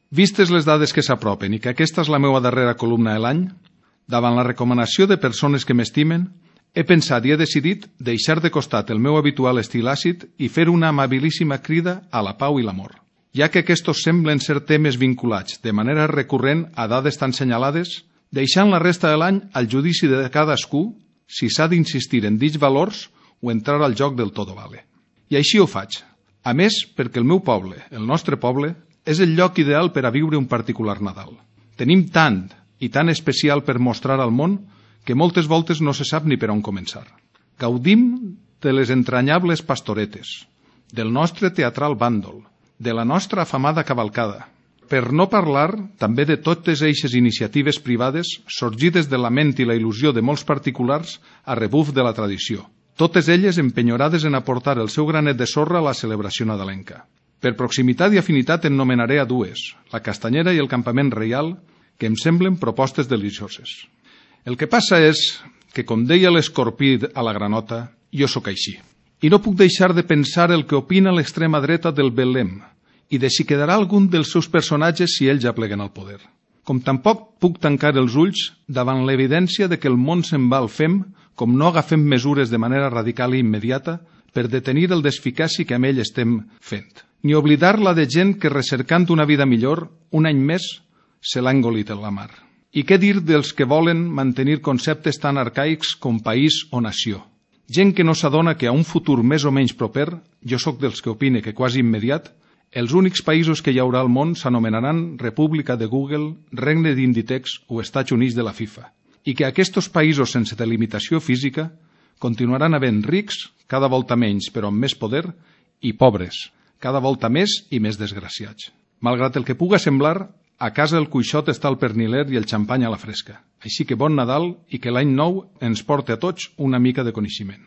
Vistes les dades que s'apropen i que aquesta és la meva darrera columna de l'any, davant la recomanació de persones que m'estimen, he pensat i he decidit deixar de costat el meu habitual estil àcid i fer una amabilíssima crida a la pau i l'amor. Ja que aquests semblen ser temes vinculats de manera recurrent a dades tan senyalades, deixant la resta de l'any al judici de cadascú si s'ha d'insistir en dits valors o entrar al joc del todo vale. I així ho faig. A més, perquè el meu poble, el nostre poble, és el lloc ideal per a viure un particular Nadal. Tenim tant i tan especial per mostrar al món que moltes voltes no se sap ni per on començar. Gaudim de les entranyables pastoretes, del nostre teatral bàndol, de la nostra afamada cavalcada, per no parlar també de totes eixes iniciatives privades sorgides de la ment i la il·lusió de molts particulars a rebuf de la tradició, totes elles empenyorades en aportar el seu granet de sorra a la celebració nadalenca. Per proximitat i afinitat en nomenaré a dues, la Castanyera i el Campament Reial, que em semblen propostes delicioses. El que passa és que, com deia l'escorpí a la granota, jo sóc així. I no puc deixar de pensar el que opina l'extrema dreta del Belém i de si quedarà algun dels seus personatges si ells ja pleguen al poder. Com tampoc puc tancar els ulls davant l'evidència de que el món se'n va al fem com no agafem mesures de manera radical i immediata per detenir el desficaci que amb ell estem fent. Ni oblidar la de gent que, recercant una vida millor, un any més se l'ha engolit en la mar. I què dir dels que volen mantenir conceptes tan arcaics com país o nació? Gent que no s'adona que a un futur més o menys proper, jo sóc dels que opine que quasi immediat, els únics països que hi haurà al món s'anomenaran República de Google, Regne d'Inditex o Estats Units de la FIFA, i que aquests països sense delimitació física continuaran havent rics, cada volta menys però amb més poder, i pobres, cada volta més i més desgraciats. Malgrat el que puga semblar, a casa el cuixot està al perniler i el xampany a la fresca. Així que bon Nadal i que l'any nou ens porti a tots una mica de coneixement.